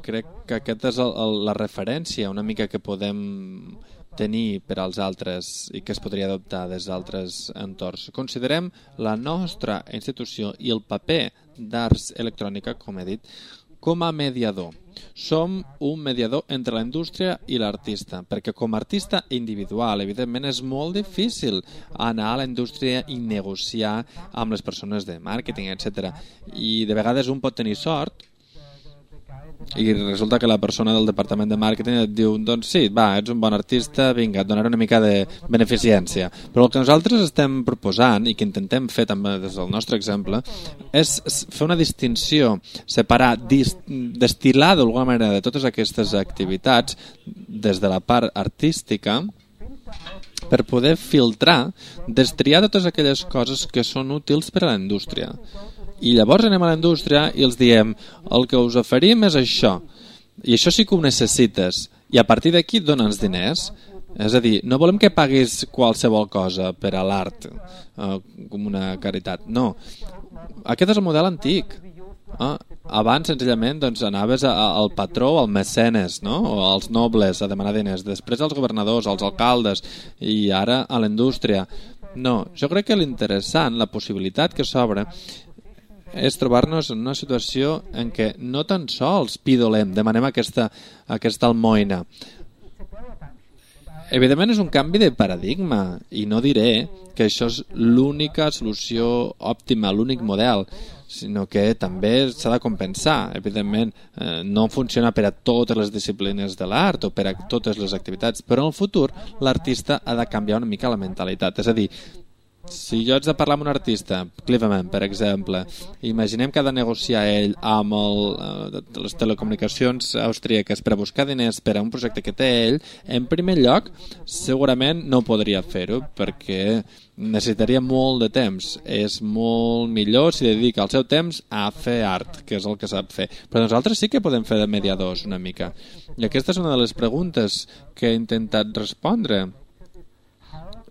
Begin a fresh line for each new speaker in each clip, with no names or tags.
crec que aquesta és la referència una mica que podem tenir per als altres i que es podria adoptar des d'altres entorns. Considerem la nostra institució i el paper d'Arts Electrònica, com he dit, com a mediador. Som un mediador entre la indústria i l'artista, perquè com a artista individual, evidentment, és molt difícil anar a la indústria i negociar amb les persones de màrqueting, etc. I de vegades un pot tenir sort i resulta que la persona del departament de màrqueting et diu, doncs sí, va, ets un bon artista, vinga, et donaré una mica de beneficència. Però el que nosaltres estem proposant i que intentem fer també des del nostre exemple és fer una distinció, separar, destil·lar d'alguna manera de totes aquestes activitats des de la part artística per poder filtrar, destriar totes aquelles coses que són útils per a la indústria. I llavors anem a la indústria i els diem el que us oferim és això i això sí que ho necessites i a partir d'aquí dona'ns diners. És a dir, no volem que paguis qualsevol cosa per a l'art com una caritat, no. Aquest és el model antic. Abans senzillament doncs, anaves al patró o al mecenes, no? O als nobles a demanar diners, després als governadors, als alcaldes i ara a la indústria. No, jo crec que l'interessant, la possibilitat que s'obre és trobar-nos en una situació en què no tan sols pidolem, demanem aquesta almoina. Evidentment és un canvi de paradigma i no diré que això és l'única solució òptima, l'únic model, sinó que també s'ha de compensar. Evidentment no funciona per a totes les disciplines de l'art o per a totes les activitats, però en el futur l'artista ha de canviar una mica la mentalitat. És a dir, si jo haig de parlar amb un artista, Cleveman, per exemple, imaginem que ha de negociar ell amb les telecomunicacions austríaques per a buscar diners per a un projecte que té ell, en primer lloc, segurament no podria fer-ho perquè necessitaria molt de temps. És molt millor si dedica el seu temps a fer art, que és el que sap fer. Però nosaltres sí que podem fer de mediadors una mica. I aquesta és una de les preguntes que he intentat respondre.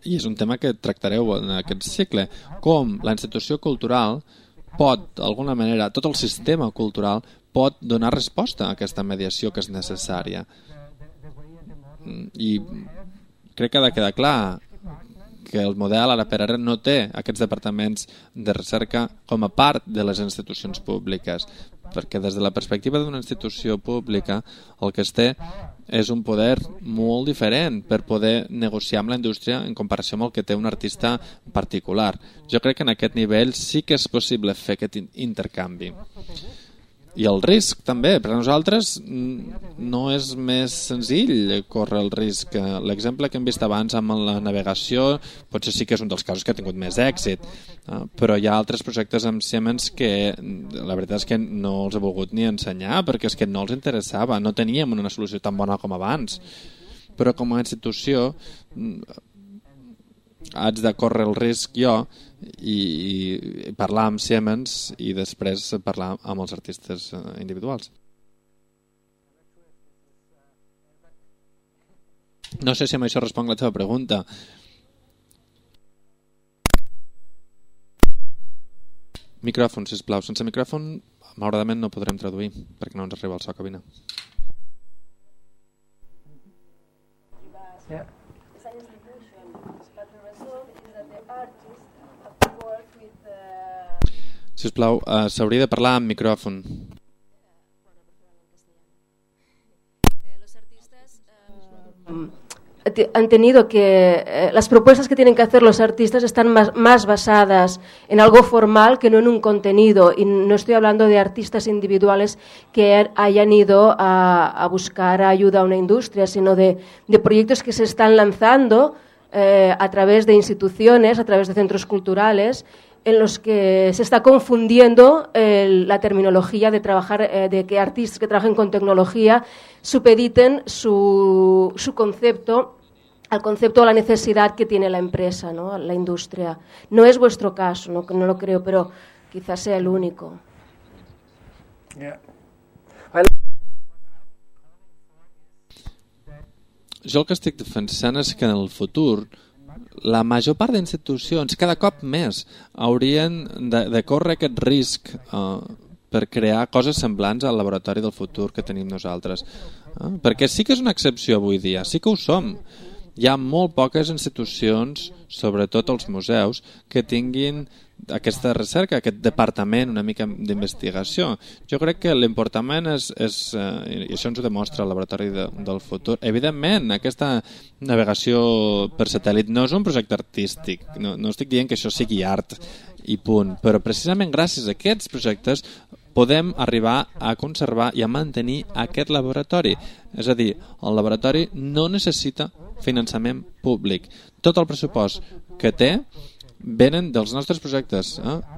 I és un tema que tractareu en aquest cicle, com la institució cultural pot, d'alguna manera, tot el sistema cultural pot donar resposta a aquesta mediació que és necessària. I crec que ha de quedar clar que el model ara per ara no té aquests departaments de recerca com a part de les institucions públiques, perquè des de la perspectiva d'una institució pública el que es té és un poder molt diferent per poder negociar amb la indústria en comparació amb el que té un artista particular. Jo crec que en aquest nivell sí que és possible fer aquest intercanvi. I el risc també, per a nosaltres no és més senzill córrer el risc. L'exemple que hem vist abans amb la navegació potser sí que és un dels casos que ha tingut més èxit, però hi ha altres projectes amb Siemens que la veritat és que no els he volgut ni ensenyar perquè és que no els interessava, no teníem una solució tan bona com abans. Però com a institució haig de córrer el risc jo i parlar amb Siemens i després parlar amb els artistes individuals. No sé si amb això responc la teva pregunta. Micròfon, sisplau. Sense micròfon, malauradament no podrem traduir perquè no ens arriba el so a cabina.
Yeah.
Sisplau, s'hauria de parlar amb micròfon.
Han tenido que las propuestas que tienen que hacer los artistas están más basadas en algo formal que no en un contenido, y no estoy hablando de artistas individuales que hayan ido a buscar ayuda a una industria, sino de proyectos que se están lanzando a través de instituciones, a través de centros culturales, en los que se está confundiendo la terminología de trabajar, de que artistas que trabajen con tecnología supediten su concepto al concepto o la necesidad que tiene la empresa, ¿no? La industria. No es vuestro caso, no lo creo, pero quizás sea el único.
Yeah.
Jo el que estic defensant és que en el futur la major part d'institucions, cada cop més, haurien de córrer aquest risc per crear coses semblants al laboratori del futur que tenim nosaltres. Perquè sí que és una excepció avui dia, sí que ho som. Hi ha molt poques institucions, sobretot els museus, que tinguin aquesta recerca, aquest departament una mica d'investigació. Jo crec que l'important és i això ens ho demostra el laboratori del futur. Evidentment, aquesta navegació per satèl·lit no és un projecte artístic, no estic dient que això sigui art i punt, però precisament gràcies a aquests projectes podem arribar a conservar i a mantenir aquest laboratori. És a dir, el laboratori no necessita finançament públic. Tot el pressupost que té venen dels nostres projectes.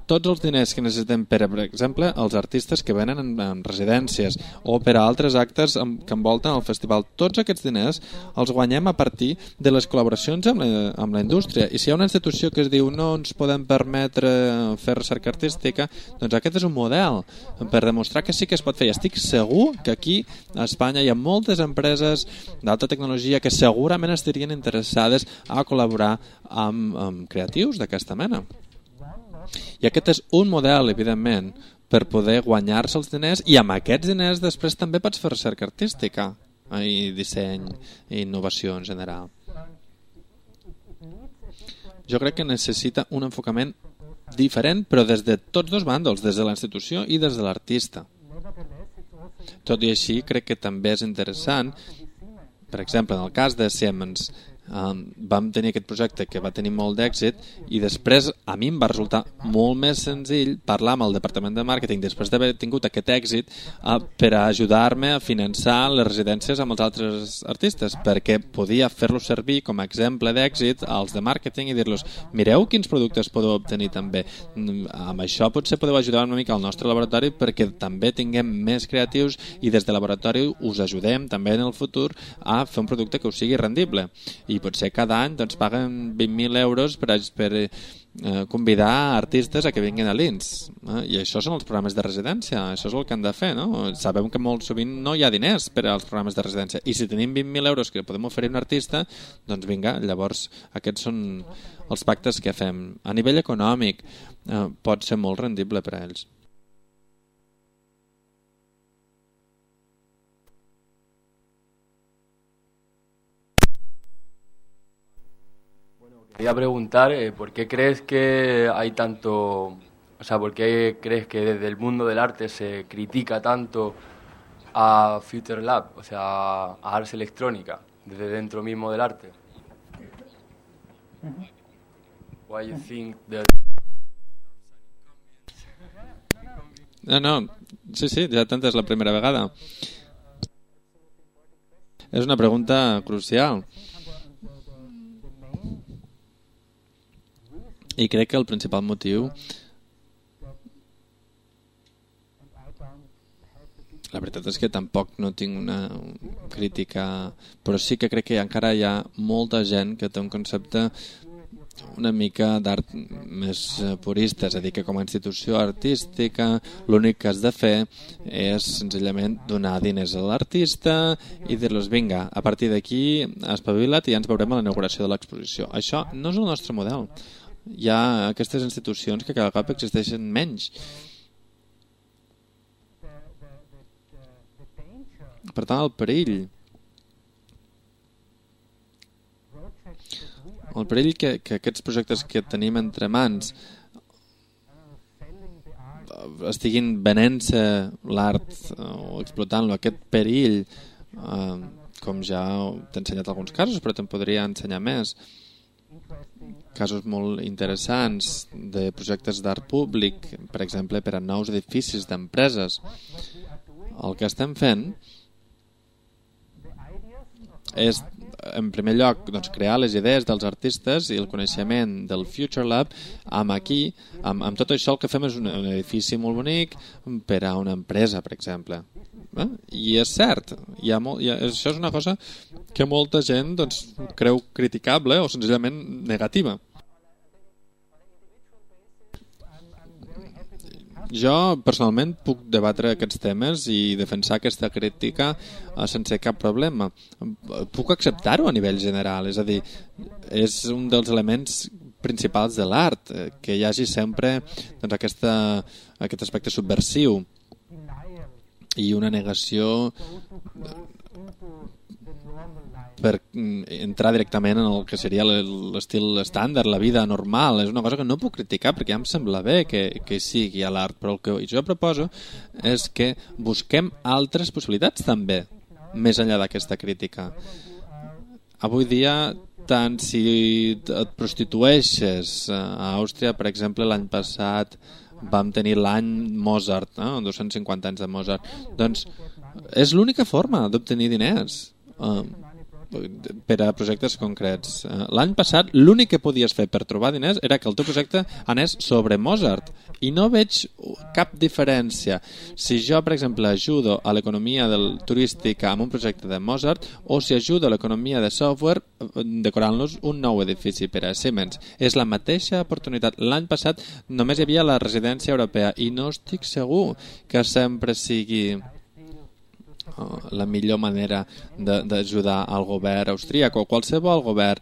Tots els diners que necessitem per exemple, els artistes que venen en residències o per a altres actes que envolten el festival. Tots aquests diners els guanyem a partir de les col·laboracions amb la indústria. I si hi ha una institució que es diu no ens podem permetre fer recerca artística, doncs aquest és un model per demostrar que sí que es pot fer. I estic segur que aquí a Espanya hi ha moltes empreses d'alta tecnologia que segurament estarien interessades a col·laborar amb creatius d'aquesta mena. I aquest és un model, evidentment, per poder guanyar-se els diners i amb aquests diners després també pots fer recerca artística i disseny i innovació en general. Jo crec que necessita un enfocament diferent, però des de tots dos bàndols, des de la institució i des de l'artista. Tot i així, crec que també és interessant, per exemple, en el cas de Siemens, vam tenir aquest projecte que va tenir molt d'èxit i després a mi em va resultar molt més senzill parlar amb el departament de màrqueting després d'haver tingut aquest èxit per a ajudar-me a finançar les residències amb els altres artistes, perquè podia fer-los servir com a exemple d'èxit als de màrqueting i dir-los, mireu quins productes podeu obtenir també, amb això potser podeu ajudar una mica al nostre laboratori perquè també tinguem més creatius i des de laboratori us ajudem també en el futur a fer un producte que us sigui rendible. I potser cada any doncs, paguen 20.000 euros per convidar artistes a que vinguin a l'INS. I això són els programes de residència, això és el que han de fer, no? Sabem que molt sovint no hi ha diners per als programes de residència i si tenim 20.000 euros que podem oferir a un artista, doncs vinga, llavors aquests són els pactes que fem. A nivell econòmic pot ser molt rendible per a ells.
Quería preguntar por qué crees que hay tanto, o sea, por qué crees que desde el mundo del arte se critica tanto a Future Lab, o sea, a Ars Electrónica, desde dentro mismo del arte. Why you think that...
No, sí, ja t'entens la primera vegada. És una pregunta crucial. I crec que el principal motiu, la veritat és que tampoc no tinc una crítica, però sí que crec que encara hi ha molta gent que té un concepte una mica d'art més purista, és a dir, que com a institució artística l'únic que has de fer és senzillament donar diners a l'artista i dir-los, vinga, a partir d'aquí espavila't i ja ens veurem a la inauguració de l'exposició. Això no és el nostre model. Hi ha aquestes institucions que cada cop existeixen menys. Per tant, el perill que aquests projectes que tenim entre mans estiguin venent-se l'art o explotant-lo, aquest perill, com ja t'he ensenyat alguns casos, però te'n podria ensenyar més, casos molt interessants de projectes d'art públic, per exemple, per a nous edificis d'empreses. El que estem fent és, en primer lloc, doncs, crear les idees dels artistes i el coneixement del Future Lab amb tot això el que fem és un edifici molt bonic per a una empresa, per exemple. I és cert, això és una cosa que molta gent doncs, creu criticable o senzillament negativa. Jo personalment puc debatre aquests temes i defensar aquesta crítica sense cap problema. Puc acceptar-ho a nivell general, és a dir, és un dels elements principals de l'art, que hi hagi sempre doncs, aquest aspecte subversiu. i una negació per entrar directament en el que seria l'estil estàndard, la vida normal. És una cosa que no puc criticar perquè ja em sembla bé que sigui a l'art, però el que jo proposo és que busquem altres possibilitats també, més enllà d'aquesta crítica. Avui dia, tant si et prostitueixes a Àustria, per exemple, l'any passat vam tenir l'any Mozart, 250 anys de Mozart, doncs és l'única forma d'obtenir diners per a projectes concrets. L'any passat l'únic que podies fer per trobar diners era que el teu projecte anés sobre Mozart i no veig cap diferència si jo, per exemple, ajudo a l'economia turística amb un projecte de Mozart o si ajudo a l'economia de software decorant-los un nou edifici per a Siemens. És la mateixa oportunitat. L'any passat només hi havia la residència europea i no estic segur que sempre sigui la millor manera d'ajudar al govern austríac o qualsevol govern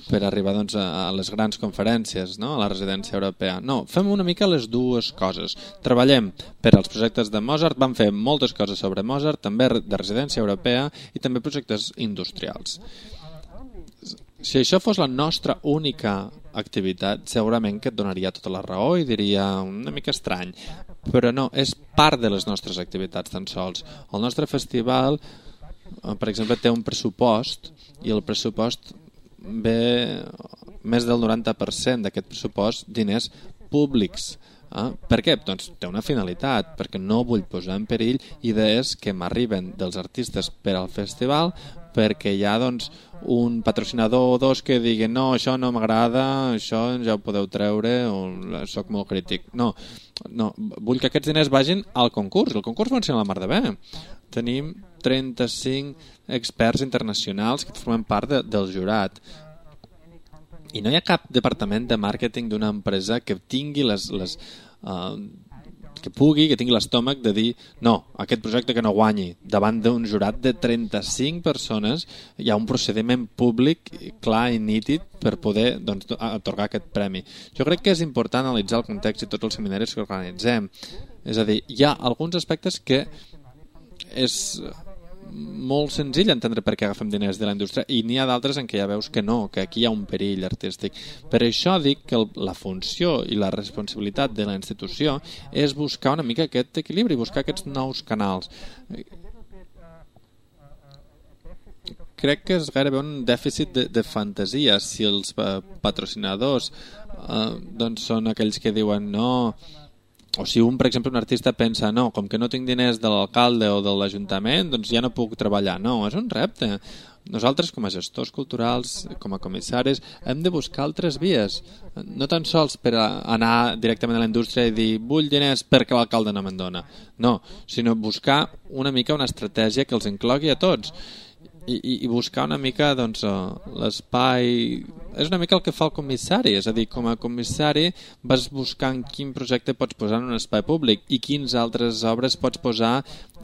per arribar doncs, a les grans conferències, no? A la residència europea. No, fem una mica les dues coses. Treballem per als projectes de Mozart, vam fer moltes coses sobre Mozart, també de residència europea i també projectes industrials. Si això fos la nostra única activitat, segurament que et donaria tota la raó i diria una mica estrany. Però no, és part de les nostres activitats tan sols. El nostre festival, per exemple, té un pressupost i el pressupost ve més del 90% d'aquest pressupost diners públics. Per què? Doncs té una finalitat, perquè no vull posar en perill idees que m'arriben dels artistes per al festival, perquè hi ha doncs, un patrocinador o dos que diguen no, això no m'agrada, això ja ho podeu treure o soc molt crític. No, vull que aquests diners vagin al concurs. El concurs funciona la mar de bé. Tenim 35 experts internacionals que formen part del jurat. I no hi ha cap departament de màrqueting d'una empresa que tingui que tingui l'estómac de dir no, aquest projecte que no guanyi. Davant d'un jurat de 35 persones hi ha un procediment públic clar i nítid per poder doncs, atorgar aquest premi. Jo crec que és important analitzar el context i tots els seminaris que organitzem. És a dir, hi ha alguns aspectes que és molt senzill entendre per què agafem diners de la indústria i n'hi ha d'altres en què ja veus que no, que aquí hi ha un perill artístic. Per això dic que la funció i la responsabilitat de la institució és buscar una mica aquest equilibri, buscar aquests nous canals. Crec que és gairebé un dèficit de fantasia si els patrocinadors doncs són aquells que diuen no. O si per exemple, un artista pensa no, com que no tinc diners de l'alcalde o de l'Ajuntament, doncs ja no puc treballar. No, és un repte. Nosaltres, com a gestors culturals, com a comissaris, hem de buscar altres vies. No tan sols per anar directament a la indústria i dir vull diners perquè l'alcalde no me'n dona. No, sinó buscar una mica una estratègia que els inclogui a tots. I buscar una mica doncs, l'espai. És una mica el que fa el comissari, és a dir, com a comissari vas buscant quin projecte pots posar en un espai públic i quins altres obres pots posar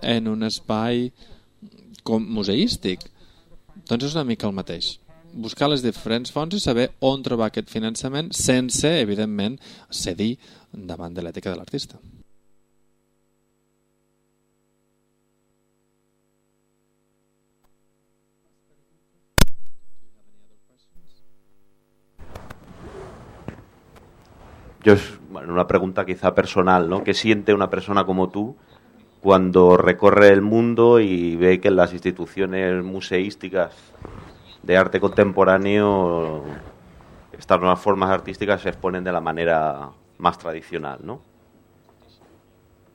en un espai museístic. Doncs és una mica el mateix. Buscar les diferents fonts i saber on trobar aquest finançament sense, evidentment, cedir davant de l'ètica de l'artista.
Una pregunta quizá personal, ¿no? ¿Qué siente una persona como tú cuando recorre el mundo y ve que en las instituciones museísticas de arte contemporáneo estas nuevas formas artísticas se exponen de la manera más tradicional, ¿no?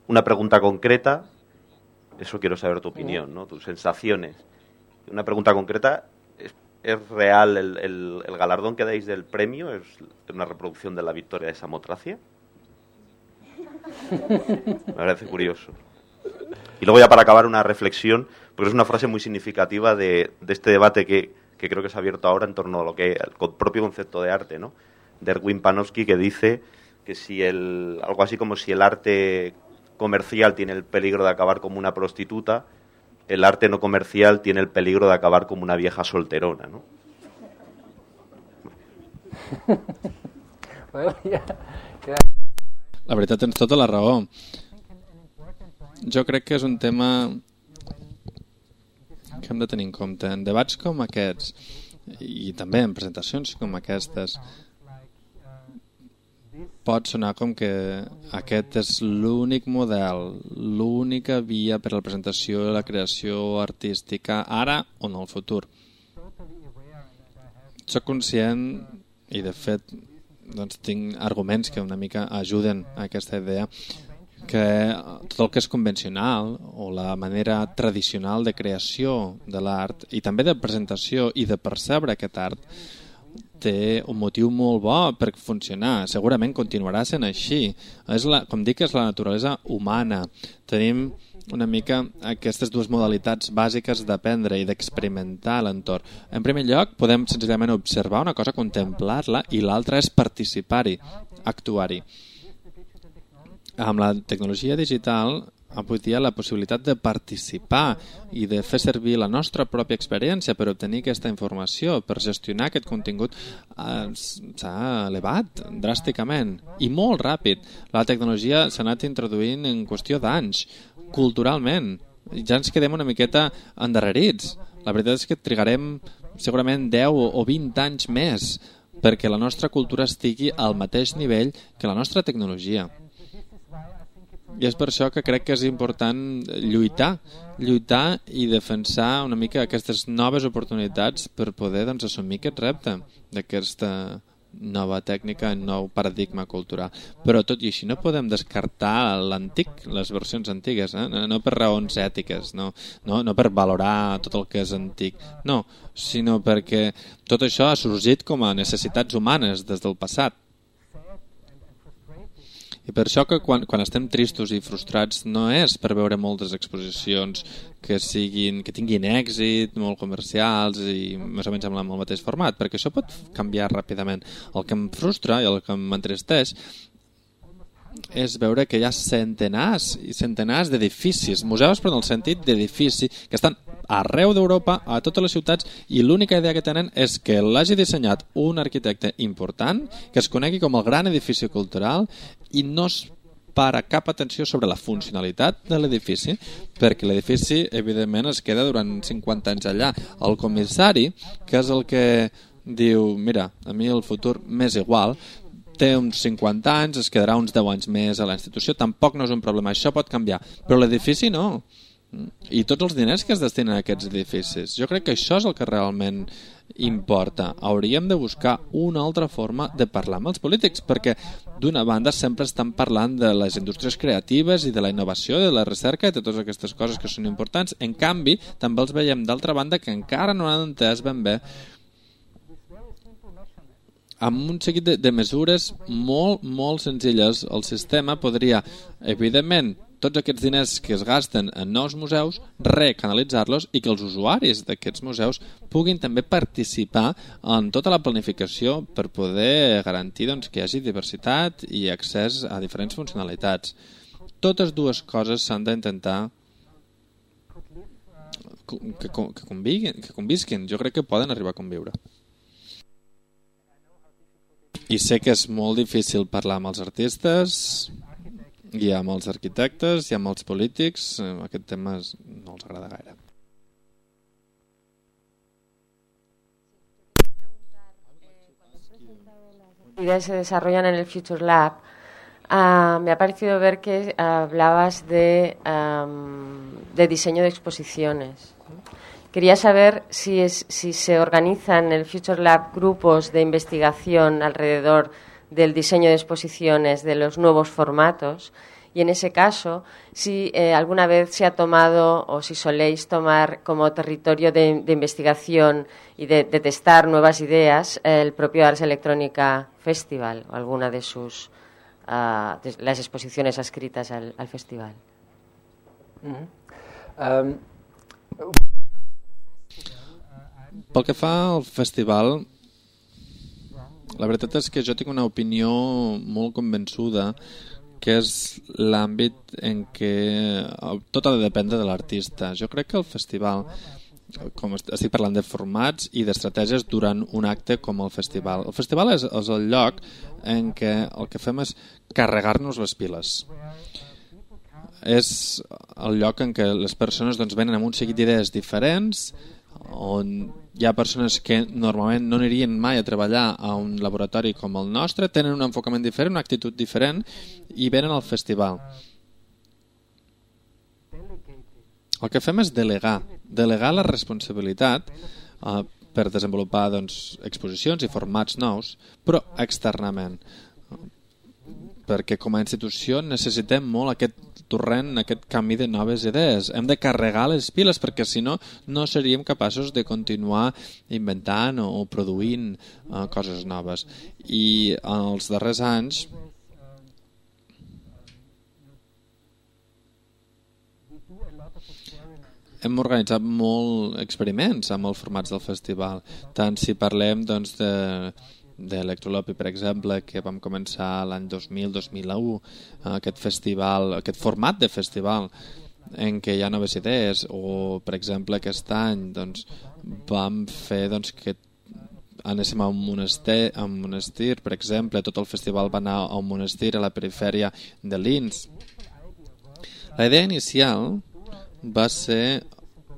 Una pregunta concreta, eso quiero saber tu opinión, ¿no? Tus sensaciones. Una pregunta concreta. ¿Es real el galardón que dais del premio? ¿Es una reproducción de la victoria de Samotracia? Me parece curioso. Y luego ya para acabar una reflexión, porque es una frase muy significativa de este debate que creo que se ha abierto ahora en torno a lo que el propio concepto de arte, ¿no? De Erwin Panofsky, que dice que si algo así como si el arte comercial tiene el peligro de acabar como una prostituta, el arte no comercial tiene el peligro de acabar como una vieja solterona, ¿no?
La veritat, tens tota la raó. Jo crec que és un tema que hem de tenir en compte. En debats com aquests, i també en presentacions com aquestes, pot sonar com que aquest és l'únic model, l'única via per a la presentació i la creació artística ara o en el futur. Soc conscient, i de fet doncs, tinc arguments que una mica ajuden a aquesta idea, que tot el que és convencional o la manera tradicional de creació de l'art i també de presentació i de percebre aquest art té un motiu molt bo per funcionar. Segurament continuarà sent així. Com dic, és la naturalesa humana. Tenim una mica aquestes dues modalitats bàsiques d'aprendre i d'experimentar l'entorn. En primer lloc, podem senzillament observar una cosa, contemplar-la, i l'altra és participar-hi, actuar-hi. Amb la tecnologia digital, avui dia la possibilitat de participar i de fer servir la nostra pròpia experiència per obtenir aquesta informació, per gestionar aquest contingut, s'ha elevat dràsticament i molt ràpid. La tecnologia s'ha anat introduint en qüestió d'anys, culturalment. Ja ens quedem una miqueta endarrerits. La veritat és que trigarem segurament 10 o 20 anys més perquè la nostra cultura estigui al mateix nivell que la nostra tecnologia. I és per això que crec que és important lluitar i defensar una mica aquestes noves oportunitats per poder assumir aquest repte d'aquesta nova tècnica, nou paradigma cultural. Però tot i així no podem descartar l'antic, les versions antigues, no per raons ètiques, no per valorar tot el que és antic, no, sinó perquè tot això ha sorgit com a necessitats humanes des del passat. I per això que quan estem tristos i frustrats no és per veure moltes exposicions que tinguin èxit, molt comercials i més o menys amb el mateix format, perquè això pot canviar ràpidament. El que em frustra i el que m'entristeix és veure que hi ha centenars i centenars d'edificis, museus però en el sentit d'edifici, que estan arreu d'Europa, a totes les ciutats, i l'única idea que tenen és que l'hagi dissenyat un arquitecte important, que es conegui com el gran edifici cultural, i no es para cap atenció sobre la funcionalitat de l'edifici, perquè l'edifici, evidentment, es queda durant 50 anys allà. El comissari, que és el que diu, mira, a mi el futur m'és igual, té uns 50 anys, es quedarà uns 10 anys més a la institució, tampoc no és un problema, això pot canviar, però l'edifici no. I tots els diners que es destinen a aquests edificis. Jo crec que això és el que realment importa. Hauríem de buscar una altra forma de parlar amb els polítics, perquè d'una banda sempre estan parlant de les indústries creatives i de la innovació, de la recerca i de totes aquestes coses que són importants. En canvi, també els veiem d'altra banda que encara no han entès ben bé amb un seguit de mesures molt, molt senzilles. El sistema podria, evidentment, tots aquests diners que es gasten en nous museus, recanalitzar-los i que els usuaris d'aquests museus puguin també participar en tota la planificació per poder garantir que hi hagi diversitat i accés a diferents funcionalitats. Totes dues coses s'han d'intentar que convisquin. Jo crec que poden arribar a conviure. I sé que és molt difícil parlar amb els artistes i amb els arquitectes i amb els polítics. Aquest tema no els agrada gaire.
Ideas se desarrollan en el Future Lab. Me ha parecido ver que hablabas de diseño de exposiciones. Quería saber si se organizan en el Future Lab grupos de investigación alrededor del diseño de exposiciones, de los nuevos formatos, y en ese caso, si alguna vez se ha tomado o si soléis tomar como territorio de investigación y de testar nuevas ideas el propio Ars Electronica Festival o alguna de sus de las exposiciones adscritas al festival.
Pel que fa al festival, la veritat és que jo tinc una opinió molt convençuda que és l'àmbit en què tot ha de dependre de l'artista. Jo crec que el festival, com estic parlant de formats i d'estratègies durant un acte com el festival. El festival és el lloc en què el que fem és carregar-nos les piles. és el lloc en què les persones doncs, venen amb un seguit d'idees diferents, on hi ha persones que normalment no anirien mai a treballar a un laboratori com el nostre, tenen un enfocament diferent, una actitud diferent i venen al festival. El que fem és delegar la responsabilitat per desenvolupar doncs, exposicions i formats nous, però externament. Perquè com a institució necessitem molt aquest torrent, aquest canvi de noves idees. Hem de carregar les piles perquè si no, no seríem capaços de continuar inventant o produint coses noves. I en els darrers anys hem organitzat molt experiments amb els formats del festival. Tant si parlem doncs, d'Electrolopi, per exemple, que vam començar l'any 2000-2001, aquest festival, aquest format de festival en què hi ha noves idees, o per exemple aquest any doncs, vam fer doncs, que anéssim a un monestir, per exemple, tot el festival va anar a un monestir a la perifèria de Linz. La idea inicial va ser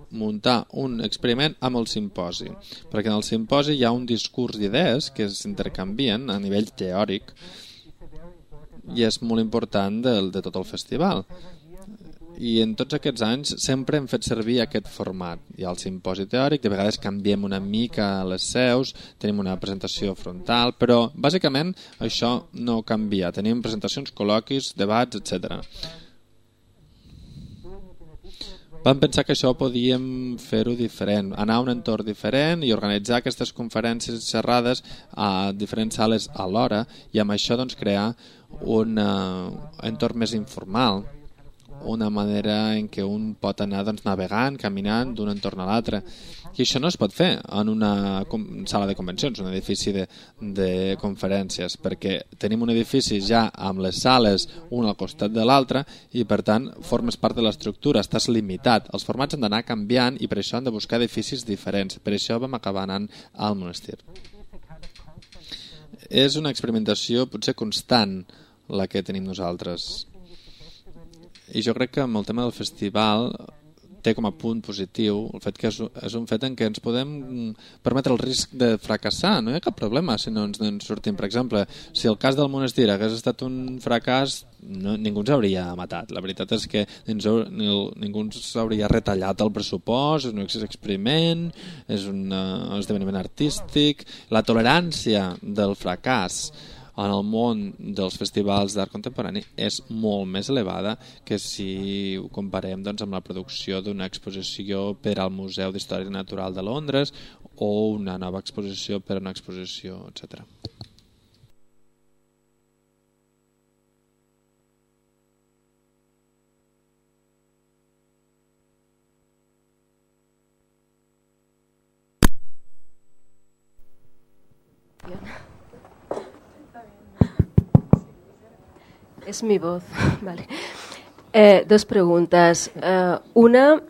muntar un experiment amb el simposi, perquè en el simposi hi ha un discurs d'idees que s'intercanvien a nivell teòric i és molt important de tot el festival. I en tots aquests anys sempre hem fet servir aquest format. Hi ha el simposi teòric, de vegades canviem una mica les seus, tenim una presentació frontal, però bàsicament això no canvia. Tenim presentacions, col·loquis, debats, etc. Vam pensar que això podíem fer-ho diferent, anar a un entorn diferent i organitzar aquestes conferències xerrades a diferents sales alhora i amb això doncs, crear un entorn més informal, una manera en què un pot anar doncs, navegant, caminant d'un entorn a l'altre. I això no es pot fer en una sala de convencions, un edifici de conferències, perquè tenim un edifici ja amb les sales un al costat de l'altre i per tant formes part de l'estructura, estàs limitat. Els formats han d'anar canviant i per això han de buscar edificis diferents. Per això vam acabar anant al monestir. És una experimentació potser constant la que tenim nosaltres. I jo crec que amb el tema del festival té com a punt positiu el fet que és un fet en què ens podem permetre el risc de fracassar. No hi ha cap problema si no ens sortim. Per exemple, si el cas del monestir hagués estat un fracàs, ningú ens hauria matat. La veritat és que ningú ens hauria retallat el pressupost, és un experiment, és un esdeveniment artístic. La tolerància del fracàs en el món dels festivals d'art contemporani és molt més elevada que si ho comparem doncs, amb la producció d'una exposició per al Museu d'Història Natural de Londres o una nova exposició per a una exposició, etc.
Es mi voz. Vale. Dos preguntas. Una,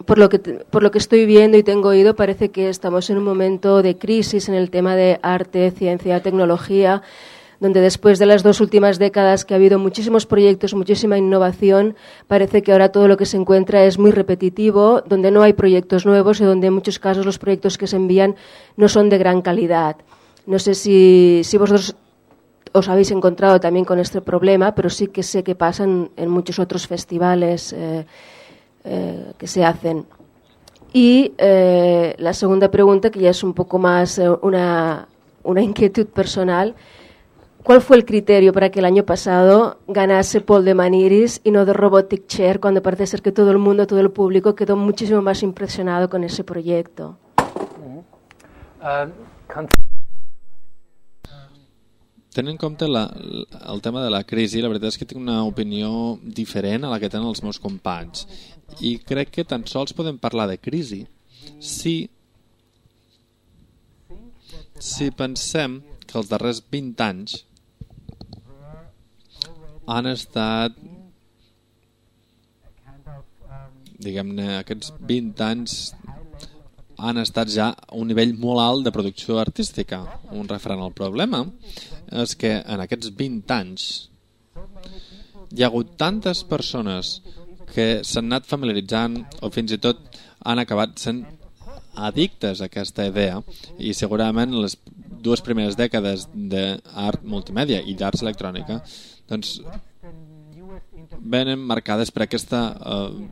por lo que estoy viendo y tengo oído, parece que estamos en un momento de crisis en el tema de arte, ciencia, tecnología, donde después de las 2 últimas décadas que ha habido muchísimos proyectos, muchísima innovación, parece que ahora todo lo que se encuentra es muy repetitivo, donde no hay proyectos nuevos y donde en muchos casos los proyectos que se envían no son de gran calidad. No sé si vosotros os habéis encontrado también con este problema, pero sí que sé que pasa en muchos otros festivales que se hacen. Y la segunda pregunta, que ya es un poco más una inquietud personal, ¿cuál fue el criterio para que el año pasado ganase Paul de Maniris y no The Robotic Chair, cuando parece ser que todo el mundo, todo el público quedó muchísimo más impresionado con ese proyecto?
Tenint en compte el tema de la crisi, la veritat és que tinc una opinió diferent a la que tenen els meus companys. I crec que tan sols podem parlar de crisi si pensem que els darrers 20 anys han estat, diguem-ne, aquests 20 anys han estat ja a un nivell molt alt de producció artística. Un referent al problema és que en aquests 20 anys hi ha hagut tantes persones que s'han anat familiaritzant o fins i tot han acabat sent addictes a aquesta idea, i segurament les 2 primeres dècades d'art multimèdia i d'arts electrònica doncs venen marcades per aquesta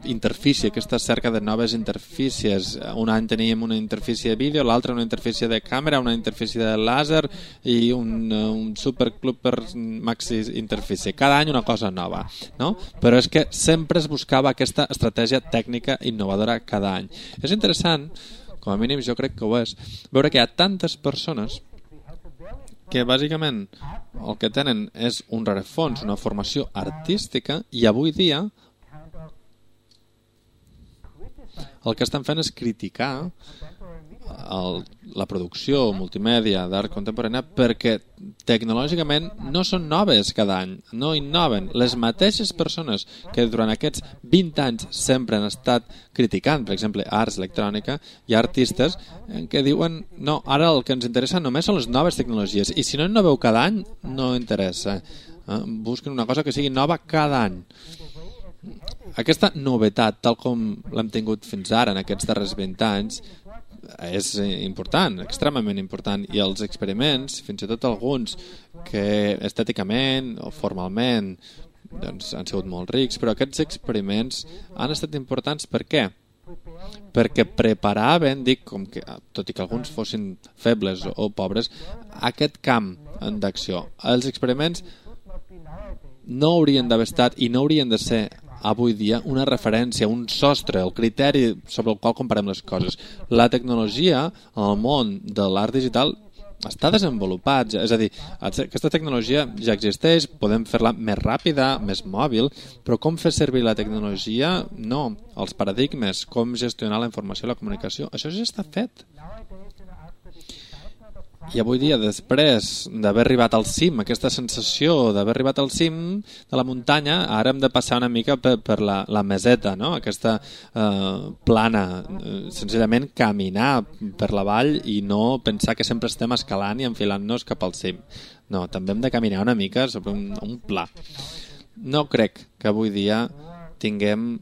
interfície, aquesta cerca de noves interfícies. Un any teníem una interfície de vídeo, l'altre una interfície de càmera, una interfície de làser i un superclub per maxi interfície. Cada any una cosa nova, no? Però és que sempre es buscava aquesta estratègia tècnica innovadora cada any. És interessant, com a mínim jo crec que ho és, veure que hi ha tantes persones que bàsicament el que tenen és un rerefons, una formació artística, i avui dia el que estan fent és criticar la producció multimèdia d'art contemporània perquè tecnològicament no són noves cada any, no innoven. Les mateixes persones que durant aquests 20 anys sempre han estat criticant, per exemple, arts electrònica, hi ha artistes que diuen no, ara el que ens interessa només són les noves tecnologies i si no innoveu cada any no interessa. Busquen una cosa que sigui nova cada any. Aquesta novetat, tal com l'hem tingut fins ara en aquests darrers 20 anys, és important, extremament important, i els experiments, fins i tot alguns que estèticament o formalment doncs, han sigut molt rics, però aquests experiments han estat importants. Per què? Perquè preparaven, dic, com que, tot i que alguns fossin febles o pobres, aquest camp d'acció. Els experiments no haurien d'haver estat i no haurien de ser avui dia una referència, un sostre, el criteri sobre el qual comparem les coses. La tecnologia al món de l'art digital està desenvolupat, és a dir, aquesta tecnologia ja existeix, podem fer-la més ràpida, més mòbil, però com fer servir la tecnologia? No. Els paradigmes, com gestionar la informació i la comunicació, això ja està fet. I avui dia, després d'haver arribat al cim, aquesta sensació d'haver arribat al cim de la muntanya, ara hem de passar una mica per la meseta, no? Aquesta plana, senzillament caminar per la vall i no pensar que sempre estem escalant i enfilant-nos cap al cim. No, també hem de caminar una mica sobre un pla. No crec que avui dia tinguem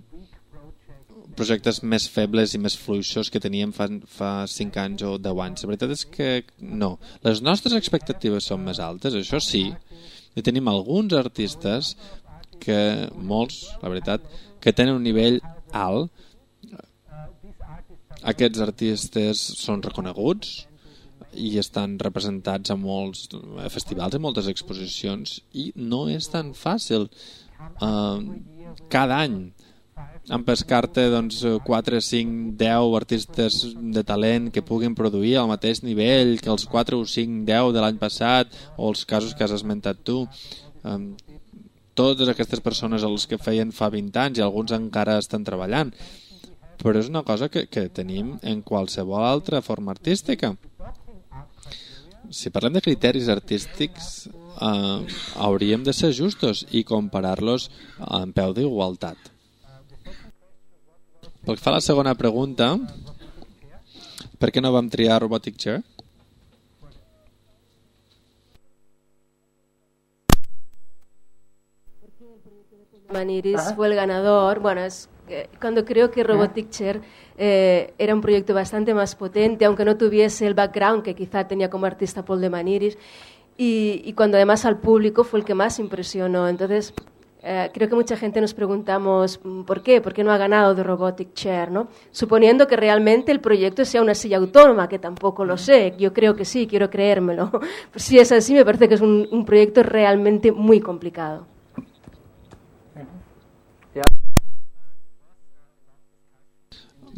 projectes més febles i més fluixos que teníem fa 5 anys o 10 anys. La veritat és que no. Les nostres expectatives són més altes, això sí, i tenim alguns artistes que, molts, la veritat, que tenen un nivell alt. Aquests artistes són reconeguts i estan representats a molts festivals i moltes exposicions i no és tan fàcil cada any empescar-te 4, 5, 10 artistes de talent que puguin produir al mateix nivell que els 4 o 5, 10 de l'any passat o els casos que has esmentat tu. Totes aquestes persones els que feien fa 20 anys i alguns encara estan treballant, però és una cosa que tenim en qualsevol altra forma artística. Si parlem de criteris artístics hauríem de ser justos i comparar-los en peu d'igualtat. Pel que fa a la segona pregunta, per què no vam triar Robotic Chair?
Maniris fue el ganador. Bueno, cuando creo que Robotic Chair era un proyecto bastante más potente, aunque no tuviese el background que quizá tenía como artista Paul de Maniris, y cuando además al público fue el que más impresionó. Entonces creo que mucha gente nos preguntamos ¿por qué no ha ganado The Robotic Chair, ¿no? Suponiendo que realmente el proyecto sea una silla autónoma, que tampoco lo sé. Yo creo que sí, quiero creérmelo. Pues si es así, me parece que es un proyecto realmente muy complicado.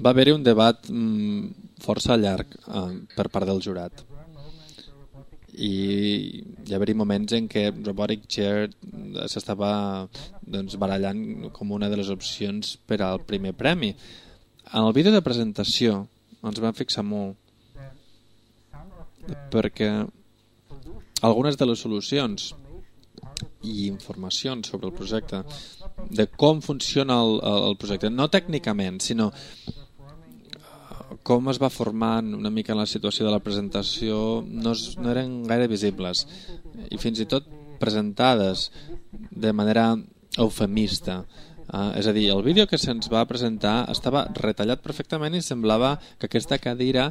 Va haver-hi un debat força llarg per part del jurat. I hi va haver-hi moments en què Robotic Chair s'estava barallant com una de les opcions per al primer premi. En el vídeo de presentació ens vam fixar molt perquè algunes de les solucions i informacions sobre el projecte, de com funciona el projecte, no tècnicament, sinó com es va formant una mica la situació de la presentació, no eren gaire visibles i fins i tot presentades de manera eufemista. És a dir, el vídeo que se'ns va presentar estava retallat perfectament i semblava que aquesta cadira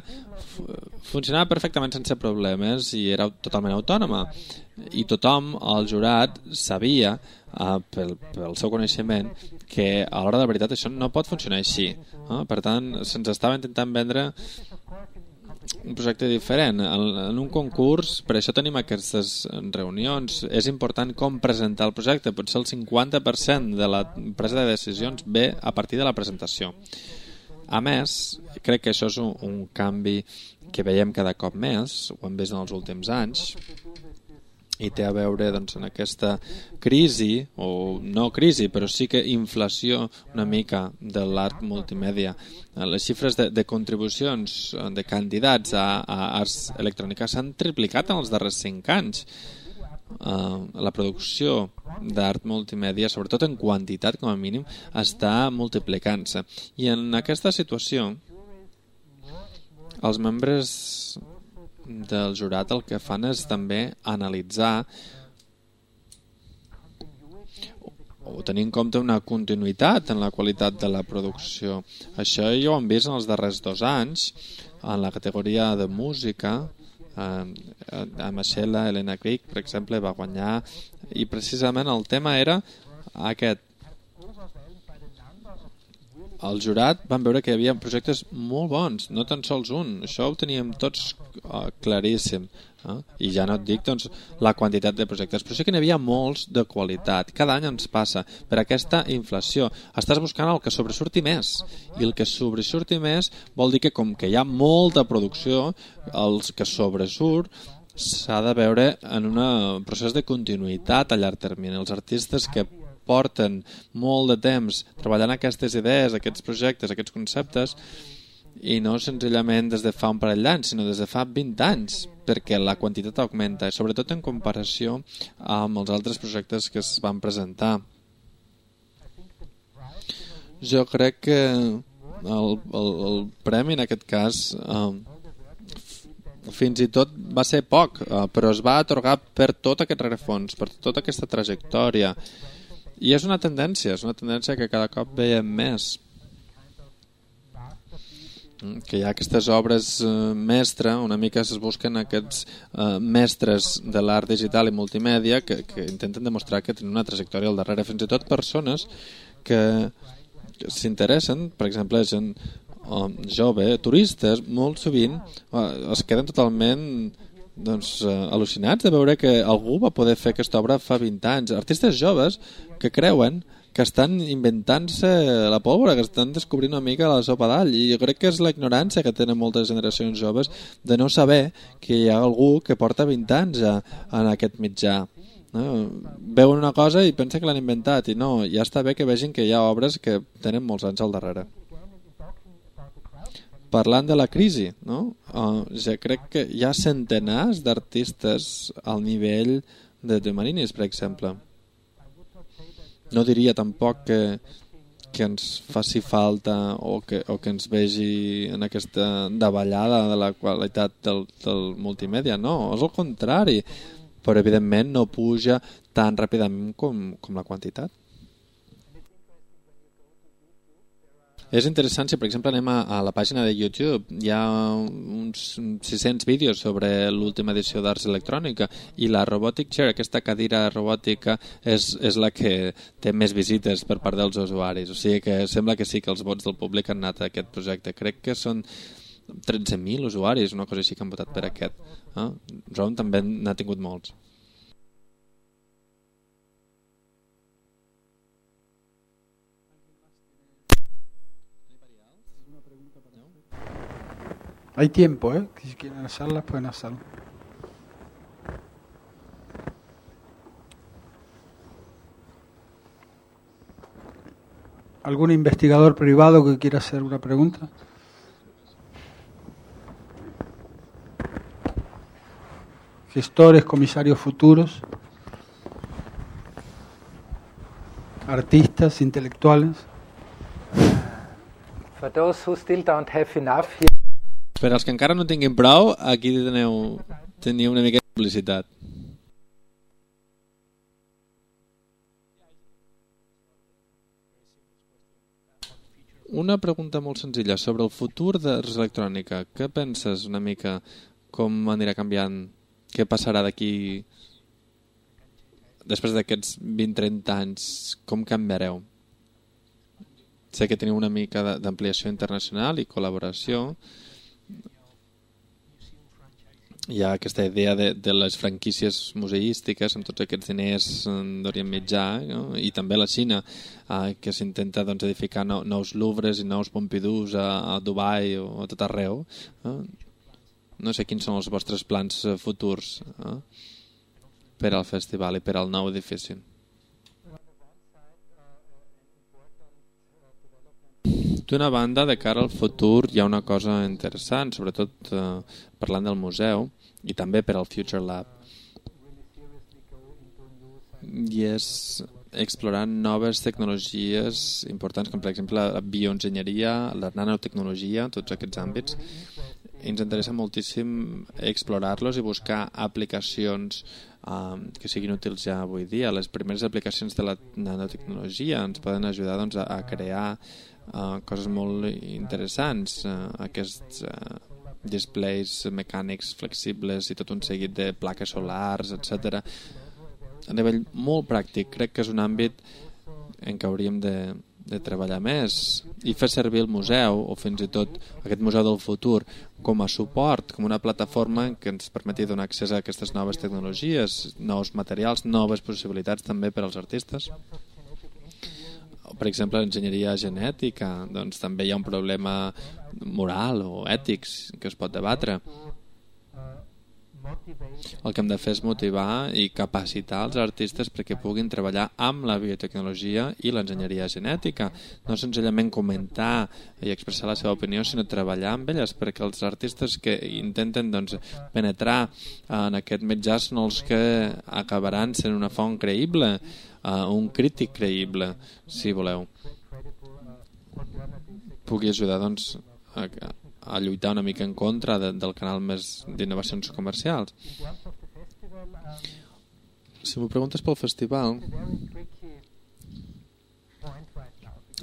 funcionava perfectament sense problemes i era totalment autònoma. I tothom, el jurat, sabia, pel seu coneixement, que a l'hora de la veritat això no pot funcionar així. Per tant, se'ns estava intentant vendre un projecte diferent. En un concurs, per això tenim aquestes reunions. És important com presentar el projecte. Potser el 50% de la presa de decisions ve a partir de la presentació. A més, crec que això és un canvi que veiem cada cop més, ho hem vist en els últims anys, i té a veure doncs, en aquesta crisi, o no crisi, però sí que inflació una mica de l'art multimèdia. Les xifres de contribucions de candidats a arts electròniques s'han triplicat en els darrers 5 anys. La producció d'art multimèdia, sobretot en quantitat com a mínim, està multiplicant-se. I en aquesta situació, els membres del jurat el que fan és també analitzar o tenir en compte una continuïtat en la qualitat de la producció. Això ja ho hem vist en els darrers 2 anys en la categoria de música. A Machela, Elena Crick, per exemple, va guanyar i precisament el tema era aquest. Al jurat van veure que hi havia projectes molt bons, no tan sols un. Això ho teníem tots claríssim. I ja no et dic doncs, la quantitat de projectes, però sí que n'hi havia molts de qualitat. Cada any ens passa per aquesta inflació. Estàs buscant el que sobresurti més, i el que sobresurti més vol dir que com que hi ha molta producció, el que sobresurt s'ha de veure en un procés de continuïtat a llarg termini. Els artistes que porten molt de temps treballant aquestes idees, aquests projectes, aquests conceptes, i no senzillament des de fa un parell d'anys, sinó des de fa 20 anys, perquè la quantitat augmenta, sobretot en comparació amb els altres projectes que es van presentar. Jo crec que el premi en aquest cas fins i tot va ser poc, però es va atorgar per tot aquest rerefons, per tota aquesta trajectòria. I és una tendència que cada cop veiem més. Que hi ha aquestes obres mestre, una mica es busquen aquests mestres de l'art digital i multimèdia que intenten demostrar que tenen una trajectòria al darrere. Fins i tot persones que s'interessen, per exemple, gent jove, turistes, molt sovint es queden totalment al·lucinats de veure que algú va poder fer aquesta obra fa 20 anys. Artistes joves que creuen que estan inventant-se la pólvora, que estan descobrint una mica la sopa d'all, i jo crec que és la ignorància que tenen moltes generacions joves de no saber que hi ha algú que porta 20 anys en aquest mitjà. Veuen una cosa i pensen que l'han inventat, i no, ja està bé que vegin que hi ha obres que tenen molts anys al darrere. Parlant de la crisi, no? Ja crec que hi ha centenars d'artistes al nivell de Marinis, per exemple. No diria tampoc que ens faci falta o que ens vegi en aquesta davallada de la qualitat del multimèdia, no, és el contrari, però evidentment no puja tan ràpidament com la quantitat. És interessant si, per exemple, anem a la pàgina de YouTube. Hi ha uns 600 vídeos sobre l'última edició d'Arts Electrònica i la Robotic Chair, aquesta cadira robòtica, és la que té més visites per part dels usuaris. O sigui que sembla que sí que els vots del públic han anat a aquest projecte. Crec que són 13.000 usuaris, una cosa així, que han votat per aquest. Ron també n'ha tingut molts.
Hay tiempo, si quieren hacerlas, pueden hacerlo. ¿Algún investigador privado que quiera hacer una pregunta? Gestores, comisarios futuros, artistas, intelectuales.
For those who still don't have enough,
per als que encara no tinguin prou, aquí teniu una mica de publicitat. Una pregunta molt senzilla sobre el futur d'Ars Electrònica. Què penses una mica? Com anirà canviant? Què passarà d'aquí... Després d'aquests 20-30 anys, com canviareu? Sé que teniu una mica d'ampliació internacional i col·laboració. Hi ha aquesta idea de les franquícies museístiques amb tots aquests diners d'Orient Mitjà, no? I també la Xina, que s'intenta doncs, edificar nous Louvres i nous Pompidous a Dubai o a tot arreu. No sé quins són els vostres plans futurs per al festival i per al nou edifici. D'una banda, de cara al futur, hi ha una cosa interessant, sobretot parlant del museu i també per al Future Lab. I és explorar noves tecnologies importants, com per exemple la bioenginyeria, la nanotecnologia, tots aquests àmbits. Ens interessa moltíssim explorar-los i buscar aplicacions que siguin útils ja avui dia. Les primeres aplicacions de la nanotecnologia ens poden ajudar doncs, a crear coses molt interessants, aquests displays mecànics flexibles i tot un seguit de plaques solars, etc. A nivell molt pràctic, crec que és un àmbit en què hauríem de treballar més i fer servir el museu o fins i tot aquest museu del futur com a suport, com una plataforma que ens permeti donar accés a aquestes noves tecnologies, nous materials, noves possibilitats també per als artistes. Per exemple, l'enginyeria genètica, doncs també hi ha un problema moral o ètics que es pot debatre. El que hem de fer és motivar i capacitar els artistes perquè puguin treballar amb la biotecnologia i l'enginyeria genètica, no senzillament comentar i expressar la seva opinió, sinó treballar amb elles, perquè els artistes que intenten doncs, penetrar en aquest mitjà són els que acabaran sent una font creïble, un crític creïble, si voleu. Pugui ajudar doncs, a lluitar una mica en contra del canal més d'innovacions comercials. Si m'ho preguntes pel festival,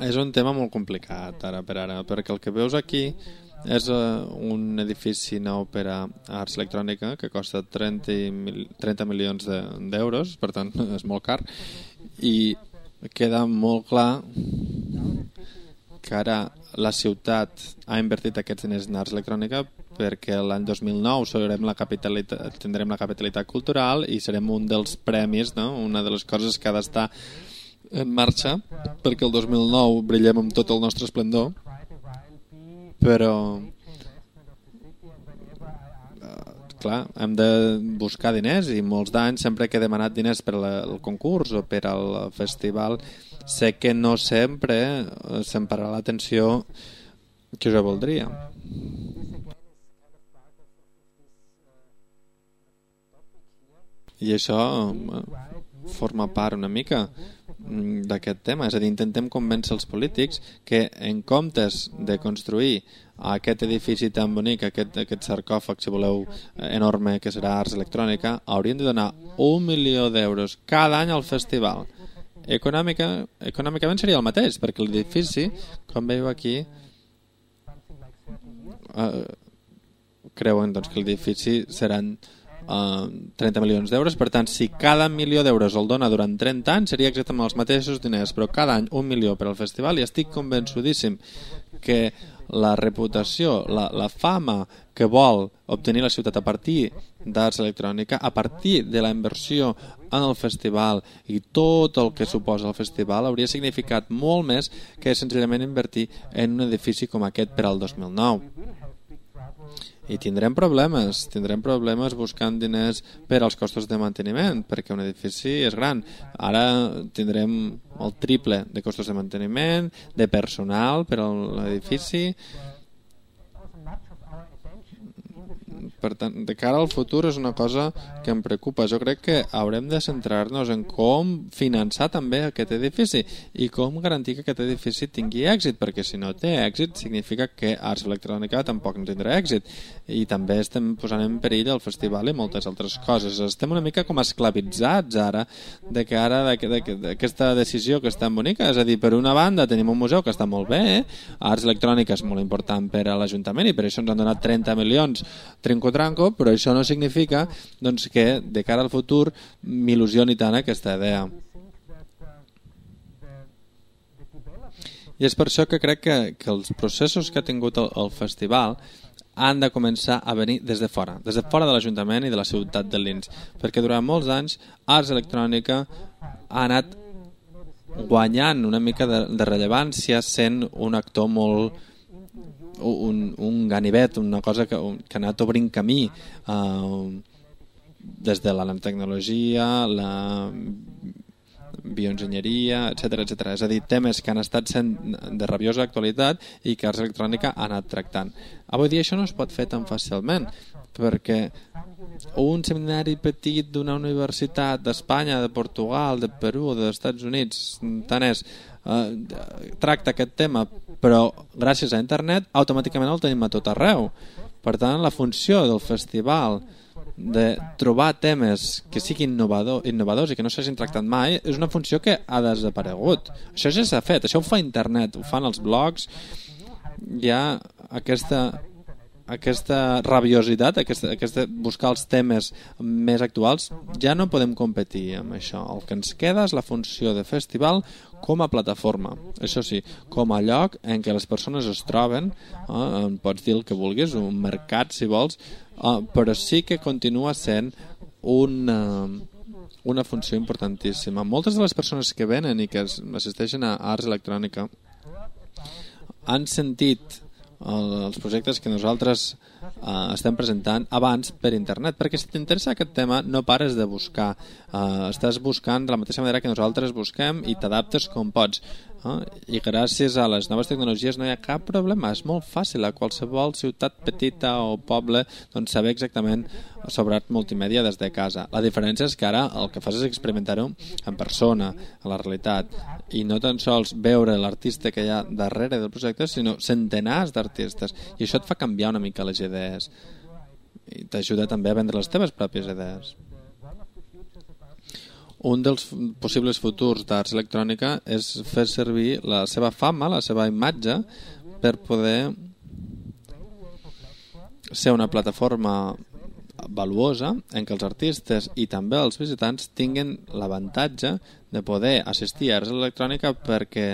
és un tema molt complicat ara per ara, perquè el que veus aquí és un edifici nou per a Ars Electrònica que costa 30 milions d'euros, per tant és molt car, i queda molt clar que ara la ciutat ha invertit aquests diners en Ars Electrònica perquè l'any 2009 tindrem la capitalitat cultural i serem un dels premis, no? Una de les coses que ha d'estar en marxa perquè el 2009 brillem amb tot el nostre esplendor, però clar, hem de buscar diners i molts d'anys sempre que he demanat diners per al concurs o per al festival sé que no sempre se'm pararà l'atenció que jo voldria. I això forma part una mica d'aquest tema, és a dir, intentem convèncer els polítics que en comptes de construir aquest edifici tan bonic, aquest sarcòfag, si voleu, enorme que serà Ars Electrònica, haurien de donar 1 milió d'euros cada any al festival. Econòmicament seria el mateix, perquè l'edifici, com veieu aquí, creuen doncs, que l'edifici seran 30 milions d'euros, per tant, si cada milió d'euros el dona durant 30 anys, seria exactament els mateixos diners, però cada any 1 milió per al festival, i estic convençudíssim que la reputació, la fama que vol obtenir la ciutat a partir d'Ars Electrònica, a partir de la inversió en el festival i tot el que suposa el festival, hauria significat molt més que senzillament invertir en un edifici com aquest per al 2009. I tindrem problemes buscant diners per als costos de manteniment, perquè un edifici és gran. Ara tindrem el triple de costos de manteniment, de personal per a l'edifici. Per tant, de cara al futur és una cosa que em preocupa. Jo crec que haurem de centrar-nos en com finançar també aquest edifici i com garantir que aquest edifici tingui èxit, perquè si no té èxit significa que Arts Electrònica tampoc no tindrà èxit, i també estem posant en perill el festival i moltes altres coses. Estem una mica com esclavitzats ara d'aquesta decisió que és tan bonica. És a dir, per una banda tenim un museu que està molt bé, Arts Electrònica és molt important per a l'Ajuntament i per això ens han donat 30 milions trinco-tranco, però això no significa doncs, que de cara al futur m'il·lusioni tant aquesta idea. I és per això que crec que els processos que ha tingut el festival han de començar a venir des de fora de l'Ajuntament i de la ciutat de Linz, perquè durant molts anys Arts Electrònica ha anat guanyant una mica de rellevància sent un actor molt un ganivet, una cosa que ha anat obrint camí des de la nanotecnologia, la bioenginyeria, etc. És a dir, temes que han estat sent de rabiosa actualitat i que Arts Electrònica ha anat tractant. Avui dia això no es pot fer tan fàcilment, perquè un seminari petit d'una universitat d'Espanya, de Portugal, de Perú, dels Estats Units, tant és, tracta aquest tema, però gràcies a internet automàticament el tenim a tot arreu. Per tant, la funció del festival de trobar temes que siguin innovadors i que no s'hagin tractat mai és una funció que ha desaparegut. Això ja s'ha fet, això ho fa internet, ho fan els blogs. Hi ha aquesta rabiositat, buscar els temes més actuals. Ja no podem competir amb això. El que ens queda és la funció de festival com a plataforma, això sí, com a lloc en què les persones es troben, pots dir el que vulguis, un mercat si vols, però sí que continua sent una funció importantíssima. Moltes de les persones que venen i que assisteixen a Arts Electrònica han sentit els projectes que nosaltres estem presentant abans per internet, perquè si t'interessa aquest tema no pares de buscar, estàs buscant de la mateixa manera que nosaltres busquem i t'adaptes com pots, i gràcies a les noves tecnologies no hi ha cap problema, és molt fàcil a qualsevol ciutat petita o poble doncs saber exactament sobre art multimèdia des de casa. La diferència és que ara el que fas és experimentar-ho en persona, a la realitat, i no tan sols veure l'artista que hi ha darrere del projecte, sinó centenars d'artistes, i això et fa canviar una mica les idees i t'ajuda també a vendre les teves pròpies idees. Un dels possibles futurs d'Arts Electrònica és fer servir la seva fama, la seva imatge, per poder ser una plataforma valuosa en què els artistes i també els visitants tinguin l'avantatge de poder assistir a Arts Electrònica perquè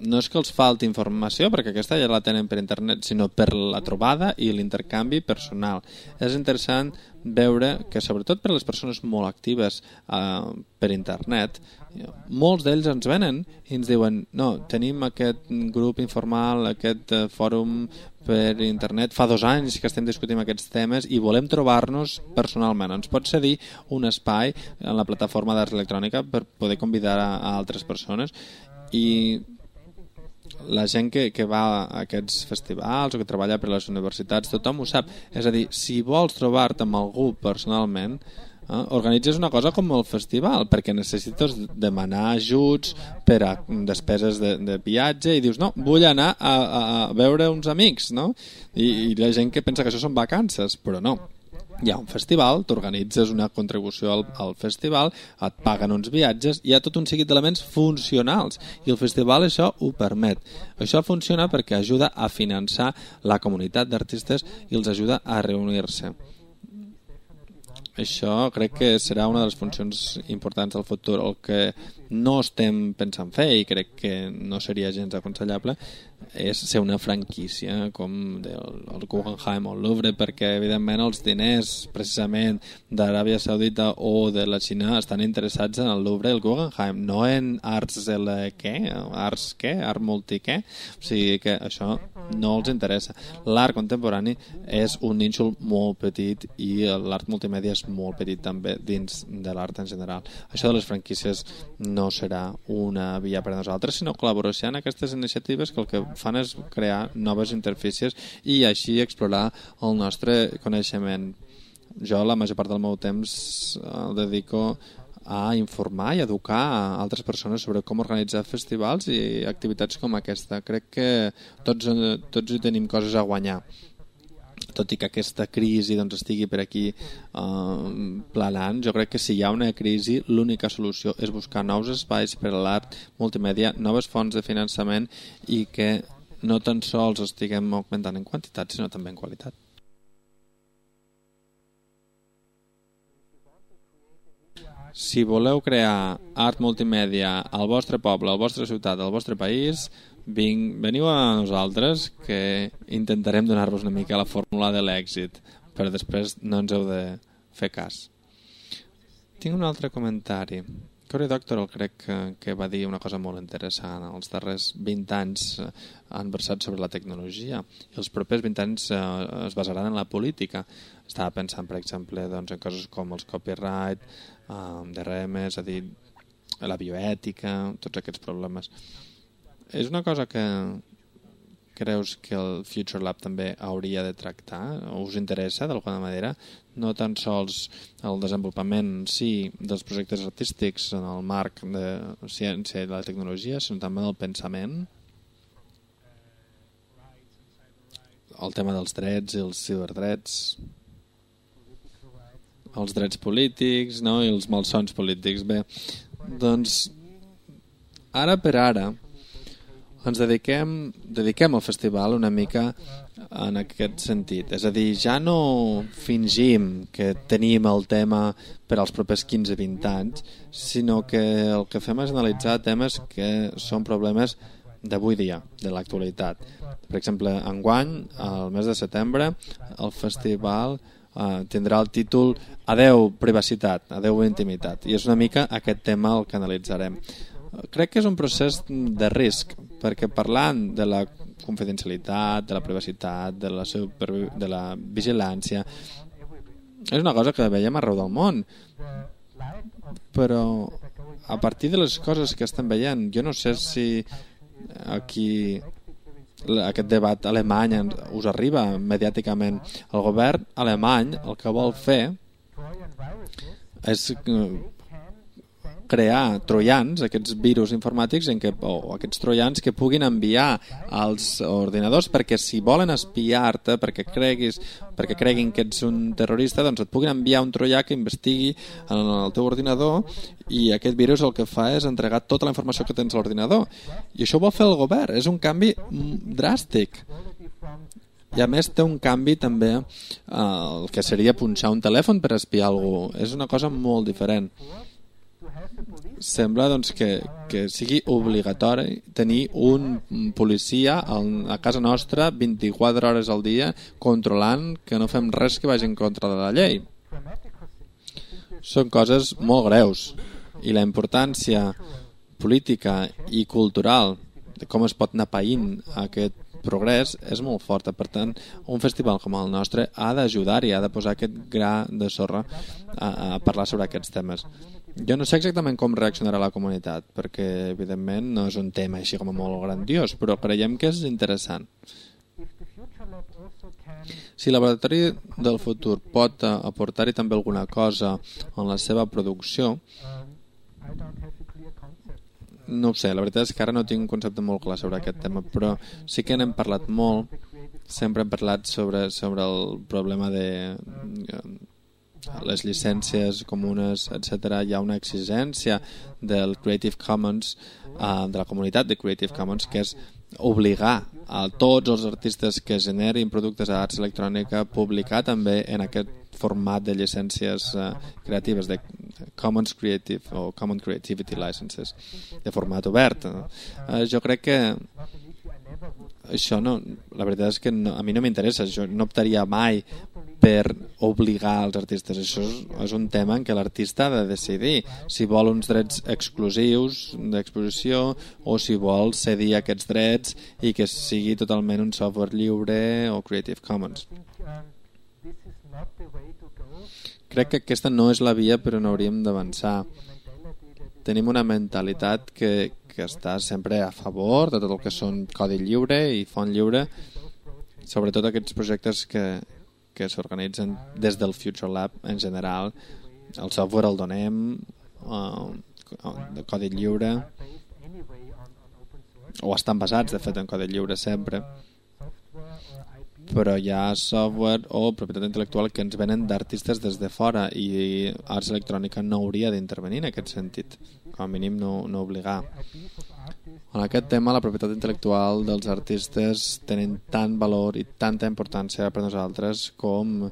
no és que els falti informació, perquè aquesta ja la tenen per internet, sinó per la trobada i l'intercanvi personal. És interessant veure que, sobretot per a les persones molt actives per internet, molts d'ells ens venen i ens diuen no, tenim aquest grup informal, aquest fòrum per internet, fa 2 anys que estem discutint aquests temes i volem trobar-nos personalment. Ens pot cedir un espai en la plataforma d'Arts Electrònica per poder convidar a altres persones, i la gent que va a aquests festivals o que treballa per les universitats, tothom ho sap. És a dir, si vols trobar-te amb algú personalment, organitzes una cosa com el festival, perquè necessites demanar ajuts per a despeses de viatge i dius, no, vull anar a veure uns amics, no? I la gent que pensa que això són vacances, però no. Hi ha un festival, t'organitzes una contribució al festival, et paguen uns viatges, hi ha tot un seguit d'elements funcionals i el festival això ho permet. Això funciona perquè ajuda a finançar la comunitat d'artistes i els ajuda a reunir-se. Això crec que serà una de les funcions importants del futur. El que no estem pensant fer, i crec que no seria gens aconsellable, és ser una franquícia com el Guggenheim o el Louvre, perquè evidentment els diners precisament d'Aràbia Saudita o de la Xina estan interessats en el Louvre i el Guggenheim, no en arts art multi què. O sigui que això no els interessa. L'art contemporani és un nínxol molt petit i l'art multimèdia és molt petit també dins de l'art en general. Això de les franquícies no serà una via per a nosaltres, sinó col·laboració en aquestes iniciatives que el que fan és crear noves interfícies i així explorar el nostre coneixement. Jo la major part del meu temps el dedico a informar i educar a altres persones sobre com organitzar festivals i activitats com aquesta. Crec que tots hi tenim coses a guanyar, tot i que aquesta crisi doncs, estigui per aquí planant. Jo crec que si hi ha una crisi l'única solució és buscar nous espais per a l'art multimèdia, noves fonts de finançament i que no tan sols estiguem augmentant en quantitat sinó també en qualitat. Si voleu crear art multimèdia al vostre poble, a la vostra ciutat, al vostre país, veniu a nosaltres que intentarem donar-vos una mica la fórmula de l'èxit, però després no ens heu de fer cas. Tinc un altre comentari. Cory Doctorow crec que va dir una cosa molt interessant. Els darrers 20 anys han versat sobre la tecnologia i els propers 20 anys es basaran en la política. Estava pensant, per exemple, doncs, en coses com els copyright, DRM, és a dir, la bioètica, tots aquests problemes. És una cosa que creus que el Future Lab també hauria de tractar? Us interessa d'alguna manera? No tan sols el desenvolupament dels projectes artístics en el marc de ciència i la tecnologia, sinó també del pensament? El tema dels drets i els ciberdrets, els drets polítics, no? I els malsons polítics. Bé, doncs ara per ara ens dediquem al festival una mica en aquest sentit. És a dir, ja no fingim que tenim el tema per als propers 15-20 anys, sinó que el que fem és analitzar temes que són problemes d'avui dia, de l'actualitat. Per exemple, enguany, al mes de setembre, el festival tindrà el títol Adeu privacitat, adeu intimitat, i és una mica aquest tema el que analitzarem. Crec que és un procés de risc, perquè parlant de la confidencialitat, de la privacitat, de la vigilància, és una cosa que veiem arreu del món, però a partir de les coses que estem veient, jo no sé si aquí aquest debat alemany us arriba mediàticament. El govern alemany el que vol fer és crear troians, aquests virus informàtics o aquests troians que puguin enviar als ordinadors perquè si volen espiar-te, perquè creguin que ets un terrorista, doncs et puguin enviar un troià que investigui en el teu ordinador i aquest virus el que fa és entregar tota la informació que tens a l'ordinador. I això ho vol fer el govern, és un canvi dràstic. I a més té un canvi també el que seria punxar un telèfon per espiar algú. És una cosa molt diferent. Sembla doncs, que sigui obligatori tenir un policia a casa nostra 24 hores al dia controlant que no fem res que vagi en contra de la llei. Són coses molt greus i la importància política i cultural de com es pot anar païnt aquest progrés és molt forta. Per tant, un festival com el nostre ha d'ajudar i ha de posar aquest gra de sorra a parlar sobre aquests temes. Jo no sé exactament com reaccionarà la comunitat, perquè evidentment no és un tema així com molt grandiós, però creiem que és interessant. Si el laboratori del futur pot aportar-hi també alguna cosa en la seva producció, no ho sé, la veritat és que ara no tinc un concepte molt clar sobre aquest tema, però sí que n'hem parlat molt, sempre hem parlat sobre el problema de les llicències comunes, etc. Hi ha una exigència del Creative Commons, de la comunitat de Creative Commons, que és obligar a tots els artistes que generin productes d'arts electrònica a publicar també en aquest format de llicències creatives, de Commons Creative o Common Creativity Licenses, de format obert. Jo crec que això no, la veritat és que a mi no m'interessa, jo no optaria mai per obligar els artistes. Això és un tema en què l'artista ha de decidir si vol uns drets exclusius d'exposició o si vol cedir aquests drets i que sigui totalment un software lliure o Creative Commons. Crec que aquesta no és la via per on hauríem d'avançar. Tenim una mentalitat que està sempre a favor de tot el que són codi lliure i font lliure, sobretot aquests projectes que s'organitzen des del Future Lab en general. El software el donem de codi lliure, o estan basats de fet en codi lliure sempre, però hi ha software o propietat intel·lectual que ens venen d'artistes des de fora i Arts Electrònica no hauria d'intervenir en aquest sentit, com a mínim no obligar. En aquest tema la propietat intel·lectual dels artistes tenen tant valor i tanta importància per nosaltres com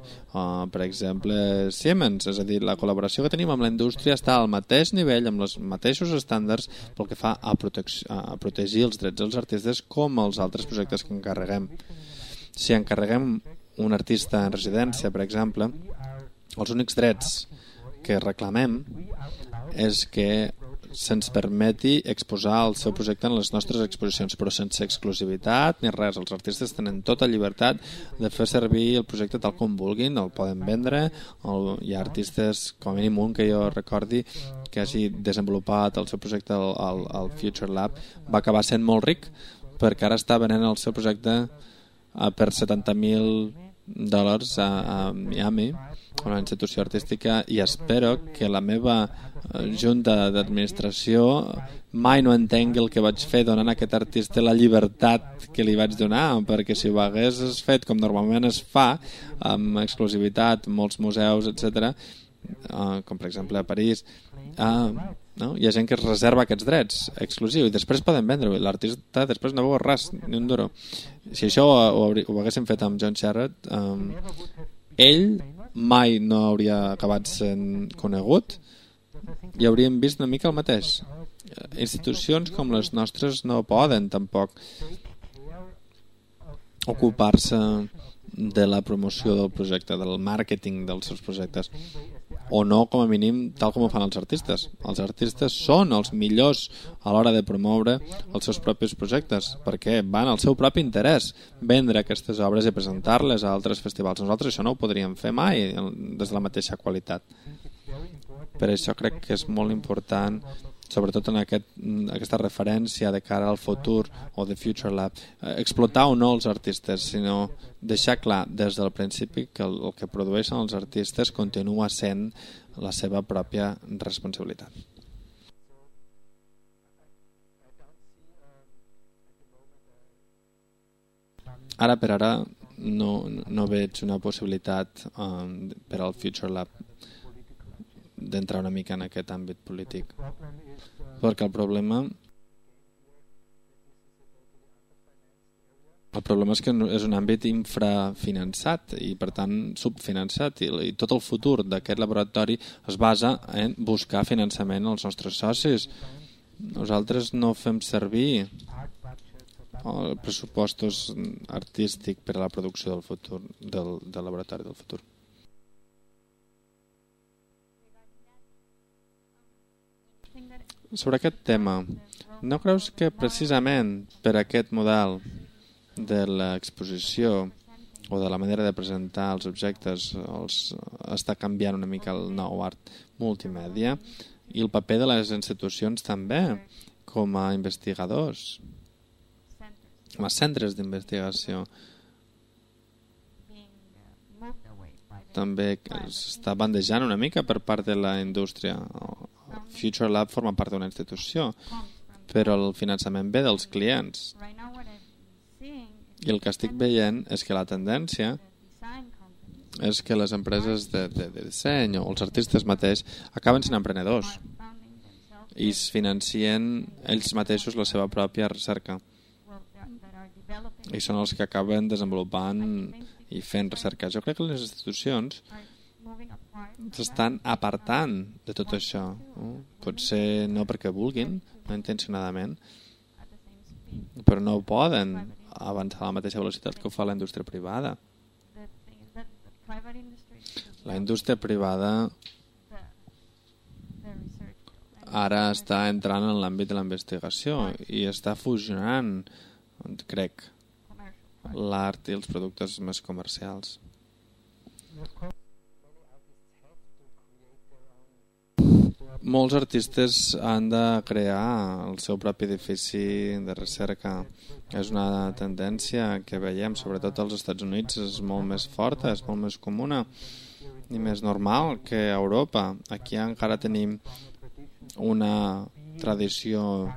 per exemple Siemens, és a dir, la col·laboració que tenim amb la indústria està al mateix nivell, amb els mateixos estàndards pel que fa a protegir els drets dels artistes com els altres projectes que encarreguem. Si encarreguem un artista en residència, per exemple, els únics drets que reclamem és que se'ns permeti exposar el seu projecte en les nostres exposicions, però sense exclusivitat ni res. Els artistes tenen tota llibertat de fer servir el projecte tal com vulguin, el poden vendre. Hi ha artistes, com a mínim un que jo recordi, que hagi desenvolupat el seu projecte al Future Lab, va acabar sent molt ric perquè ara està venent el seu projecte per $70,000 a Miami, una institució artística, i espero que la meva junta d'administració mai no entengui el que vaig fer donant a aquest artista la llibertat que li vaig donar, perquè si ho hagués fet com normalment es fa, amb exclusivitat, molts museus, etc., com per exemple a París, no? Hi ha gent que es reserva aquests drets exclusius i després poden vendre-ho. L'artista després no veu res, ni un duro. Si això ho haguéssim fet amb John Sherrod, ell mai no hauria acabat sent conegut i hauríem vist una mica el mateix. Institucions com les nostres no poden tampoc ocupar-se de la promoció del projecte, del màrqueting dels seus projectes, o no, com a mínim, tal com ho fan els artistes. Els artistes són els millors a l'hora de promoure els seus propis projectes, perquè van al seu propi interès vendre aquestes obres i presentar-les a altres festivals. Nosaltres això no ho podríem fer mai des de la mateixa qualitat. Per això crec que és molt important, sobretot en aquesta referència de cara al futur o de Future Lab, explotar o no els artistes, sinó deixar clar des del principi que el que produeixen els artistes continua sent la seva pròpia responsabilitat. Ara per ara no veig una possibilitat per al Future Lab d'entrar una mica en aquest àmbit polític, perquè el problema és que és un àmbit infrafinançat i per tant subfinançat, i tot el futur d'aquest laboratori es basa en buscar finançament als nostres socis. Nosaltres no fem servir pressupostos artístics per a la producció del futur, del laboratori del futur. Sobre aquest tema, no creus que precisament per aquest model de l'exposició o de la manera de presentar els objectes està canviant una mica el nou art multimèdia i el paper de les institucions també com a investigadors, com a centres d'investigació, també s'està bandejant una mica per part de la indústria. Future Lab forma part d'una institució, però el finançament ve dels clients. I el que estic veient és que la tendència és que les empreses de disseny o els artistes mateix acaben sent emprenedors i es financien ells mateixos la seva pròpia recerca. I són els que acaben desenvolupant i fent recerca. Jo crec que les institucions s'estan apartant de tot això. Potser no perquè vulguin, no intencionadament, però no poden avançar a la mateixa velocitat que ho fa la indústria privada. La indústria privada ara està entrant en l'àmbit de la investigació i està fusionant, crec, l'art i els productes més comercials. Molts artistes han de crear el seu propi edifici de recerca. És una tendència que veiem, sobretot als Estats Units, és molt més forta, és molt més comuna i més normal que a Europa. Aquí encara tenim una tradició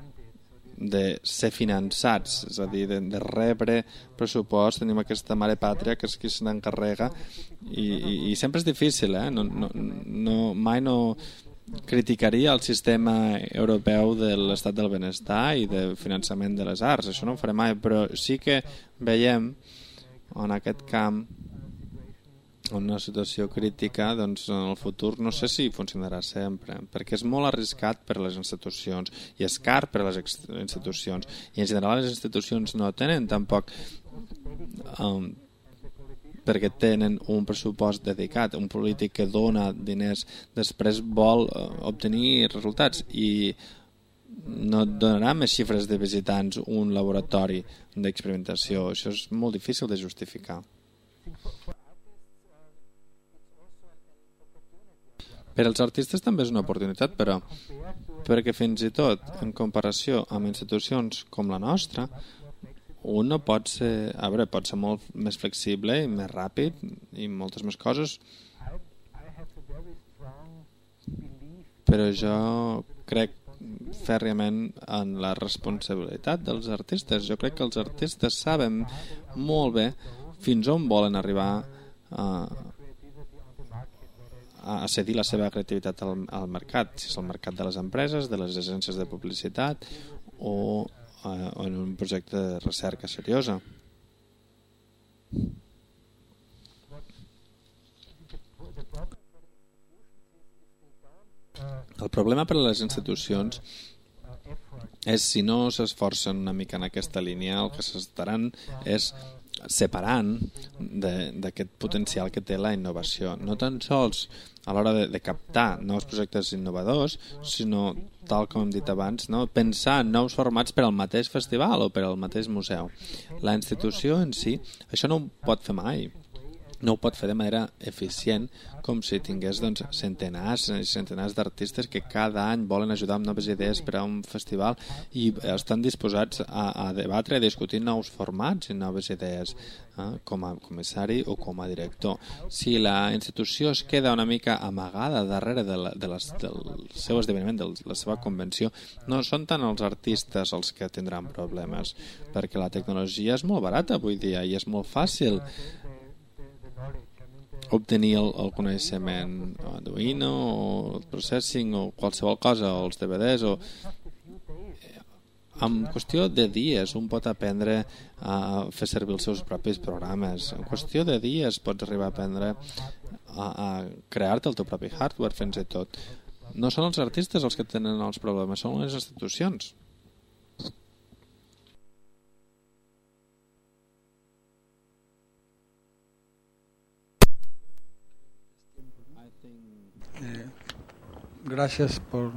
de ser finançats, és a dir, de rebre pressupost. Tenim aquesta mare pàtria que és qui se n'encarrega i sempre és difícil, mai no criticaria el sistema europeu de l'estat del benestar i de finançament de les arts, això no ho faré mai, però sí que veiem en aquest camp una situació crítica, doncs en el futur no sé si funcionarà sempre, perquè és molt arriscat per a les institucions i és car per a les institucions, i en general les institucions no tenen tampoc perquè tenen un pressupost dedicat. Un polític que dona diners després vol obtenir resultats i no donarà més xifres de visitants un laboratori d'experimentació. Això és molt difícil de justificar. Per als artistes també és una oportunitat, però perquè fins i tot en comparació amb institucions com la nostra, un no pot ser, pot ser molt més flexible i més ràpid i moltes més coses, però jo crec fèrriament en la responsabilitat dels artistes. Jo crec que els artistes saben molt bé fins on volen arribar a cedir la seva creativitat al mercat, si és el mercat de les empreses, de les agències de publicitat o en un projecte de recerca seriosa. El problema per a les institucions és si no s'esforcen una mica en aquesta línia, el que s'estaran és separant d'aquest potencial que té la innovació, no tan sols a l'hora de captar nous projectes innovadors, sinó, tal com hem dit abans, pensar en nous formats per al mateix festival o per al mateix museu. La institució en si això no ho pot fer mai, no ho pot fer de manera eficient, com si tingués centenars i centenars d'artistes que cada any volen ajudar amb noves idees per a un festival i estan disposats a debatre i a discutir nous formats i noves idees com a comissari o com a director. Si la institució es queda una mica amagada darrere del seu esdeveniment, de la seva convenció, no són tant els artistes els que tindran problemes, perquè la tecnologia és molt barata avui dia i és molt fàcil obtenir el coneixement Arduino o el processing o qualsevol cosa, o els DVDs en qüestió de dies un pot aprendre a fer servir els seus propis programes. En qüestió de dies pots arribar a aprendre a crear-te el teu propi hardware fins i tot. No són els artistes els que tenen els problemes, són les institucions.
Gracias por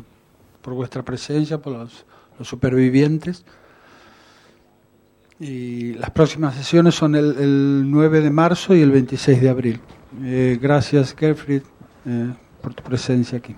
vuestra presencia, por los supervivientes. Y las próximas sesiones son el 9 de marzo y el 26 de abril. Gracias, Gerfried, por tu presencia aquí.